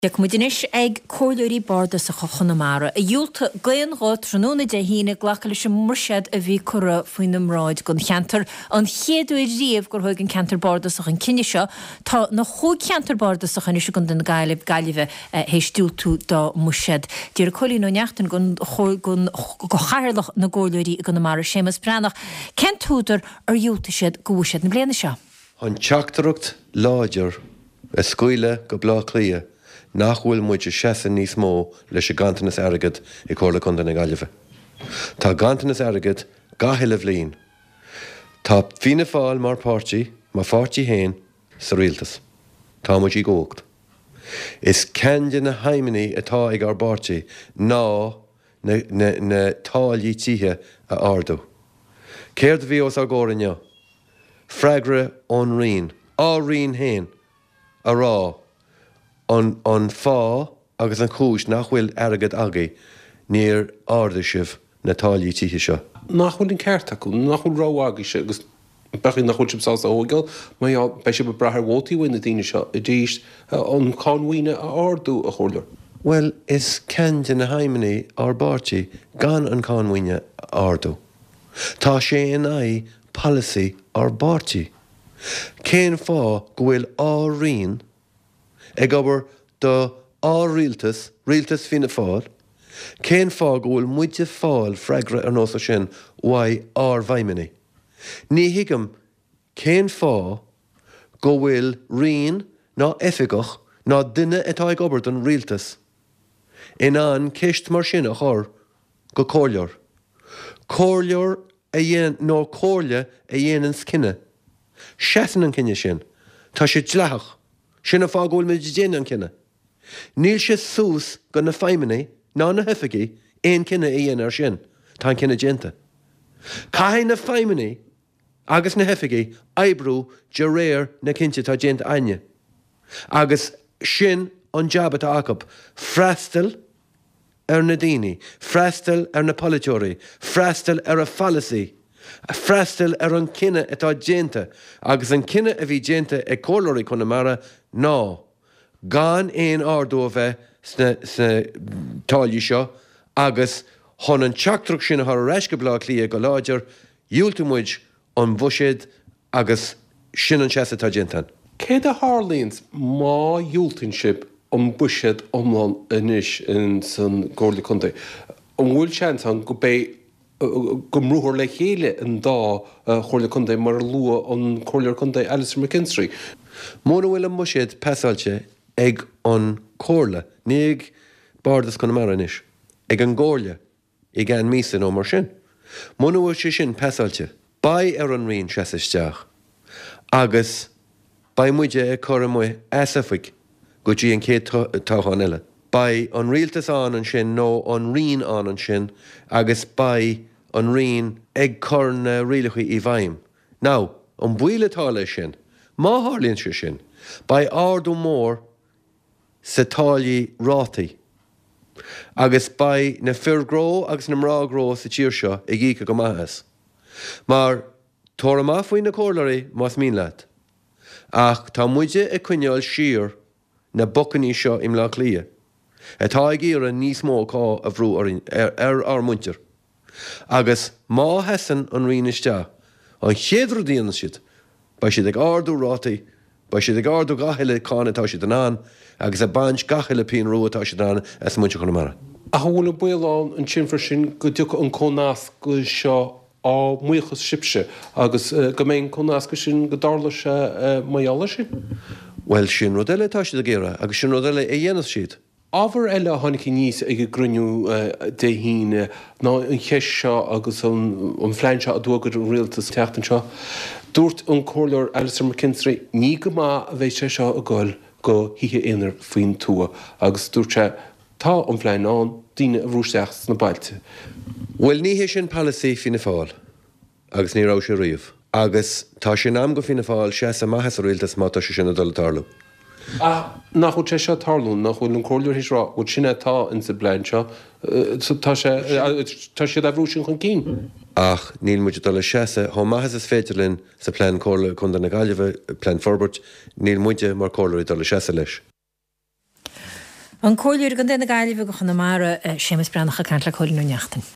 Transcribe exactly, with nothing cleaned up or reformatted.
Tiocfaidh muid anois ag Comhairleoirí Bardasacha Chonamara, a dhiúltaigh d'aon ghuth tráthnóna Dé hAoine glacadh leis an mbuiséad a bhí curtha faoina mbráid don cheantar. An chéad uair riamh gur thóg an ceantar bardasach an cinneadh seo. Tá na chúig cheantar bardasacha anois i gContae na Gaillimhe théis diúltú dá mbuiséad. D'iarr Cóilín Ó Neachtain gon Chathaoirleach na gComhairleoirí i gConamara, Séamus Breathnach, cén t-údar ar dhiúltaigh siad do bhuiséad na bliana seo. An teachtaireacht láidir a scaoileadh go Bleá Cliath nach bhfuil muid ag seasamh níos mó leis an ganntanas airgid i Comhairle Contae na Gaillimhe. Tá ganntanas airgid gach uile bhliain. Tá Fianna Fáil mar páirtí, mo pháirtí féin, sa rialtas. Tá muid i gcumhacht. Is ceann de na haidhmeanna atá ag ár bpáirtí ná na, na, na táillí tithe a ardú. Céard a bhí os ár gcomhair inniu? Freagra ón Roinn, ár Roinn féin, a rá an an fáth agus an chúis nach bhfuil airgead agaibh, níor ardaigh sibh na táillí tithe seo. Nach bhfuil an ceart acu, nach bhfuil rogha agaibhse agus b'fhéidir nach bhfuil sibh sásta a thógáil, mar gheall, beidh sibh ag brath ar vótaí uaidh na daoine seo arís an cáin mhaoine a ardú, a Chomhairleoir. Bhuel, is ceann de na haidhmeanna ár bpáirtí gan an cáin mhaoine a ardú. Tá sé in aghaidh polasaí ár bpáirtí. Cén fáth go bhfuil ár Roinn ag obair do ár rialtas, rialtas Fianna Fáil, cén fáth go bhfuil muid ag fáil freagra ar nós sin uaidh ár bhfeidhmeannaigh? Ní thuigim cén fáth go bhfuil Roinn ná oifigeach ná duine atá ag obair don rialtas in ann ceist mar sin a chur go comhairleoir. Comhairleoir a dhéan nó comhairle a dhéananns cinneadh. Seasann an cinneadh sin. Tá sé dleathach. Sin an fáth go bhfuil muid ag déanamh an cinneadh. Níl sé suas go na feidhmeannaigh ná na hoifigigh aon cinneadh a dhéanamh ar sin. Tá an cinneadh déanta. Caithfidh na feidhmeannaigh agus na hoifigigh oibriú de réir na cinnte atá déanta againne. Agus sin an jab atá acu, freastal ar na daoine, freastal ar na polaiteoirí, freastal ar a pholasaí, freastal ar an cinneadh atá déanta. Agus an cinneadh a bhí déanta ag Comhairleoirí Chonamara ná gan aon ardú a bheith sna, sna táillí seo agus chun an teachtaireacht sin a chur ar ais go Baile Átha Cliath go láidir, dhiúltaigh muid an bhuiséad agus sin an seasamh atá déanta. Céard a tharlaíonns má dhiúltaíonn sibh an buiséad iomlán anois ins an gComhairle Contae? An bhfuil seans ann go beidh go mbrúfar le chéile an dá Chomhairle Contae mar a luaigh an Comhairleoir Contae Alastair McKinstry? Muna bhfuil an buiséad pasáilte ag an Comhairle, ní ag Bardas Conamara anois, ag an gComhairle i gceann míosa nó mar sin. Muna bhfuil sé sin pasáilte, beidh ar an Roinn seasamh isteach agus beidh muide ag cur amuigh as oifig go dtí an chéad toghchán eile. Beidh an rialtas ann ansin nó an Roinn ann ansin agus beidh an Roinn ag cur na rialacha i bhfeidhm. Now, an baol atá leis sin, má tharlaíonn sé sin, beidh ardú mór sa táillí rátaí agus beidh na fir gnó agus na mná gnó sa tír seo ag íoc go maith as. Mar tabhair amach faoi na comhairleoirí más mian leat. Ach tá muide ag coinneáil siar na bacainní seo i mBleá Cliath, atá ag iarraidh níos mó cáin a bhrú orainn ar ar ár muintir. Agus má sheasann an Roinn isteach, an chéad rud a dhéanann siad, beidh siad ag ardú rátaí, beidh siad ag ardú gach uile cáin atá siad in ann agus ag baint gach uile pingin rua atá siad in ann as muintir Chonamara. Ach an bhfuil an baol ann ansin freisin go dtiocfaidh an cónascadh seo á mbuíochas sibhse agus go mbeidh an cónascadh sin, go dtarlóidh sé mar gheall air sin? Bhuel, sin rud eile atá siad ag iarraidh agus sin rud eile a dhéanfas siad. Ábhar eile a tháinig aníos ag an gcruinniú Dé hAoine ná an cheist seo agus an phlean seo a d'fhógair an rialtas an tseachtain seo. Dúirt an Comhairleoir Alastair McKinstry, ní go maith a bheidh sé seo ag goil do thithe aonair faoin tuath agus dúirt sé, tá an phlean ann daoine a bhrú isteach sna bailte. Bhuel, ní hé sin polasaí Fianna Fáil. Agus ní raibh sé riamh. Agus tá sé in am go Fianna Fáil seasamh amach as an rialtas má tá sé sin ag dul ag tarlú. Ach nach bhfuil sé seo ag tarlú, nach bhfuil an comhairleoir théis rá, bhuel sin é atá insa bplean seo, tá sé, tá siad á bhrú sin chun cinn. Ach níl muid ag dul a seasamh chomh maith is is féidir linn sa Plean Comhairle Contae na Gaillimhe, Plean Forbairt, níl muide mar comhairleoirí ag dul a seasamh leis. An Comhairleoir i gContae na Gaillimhe do Chonamara Séamus Breathnach ag caint le Cóilín Ó Neachtain.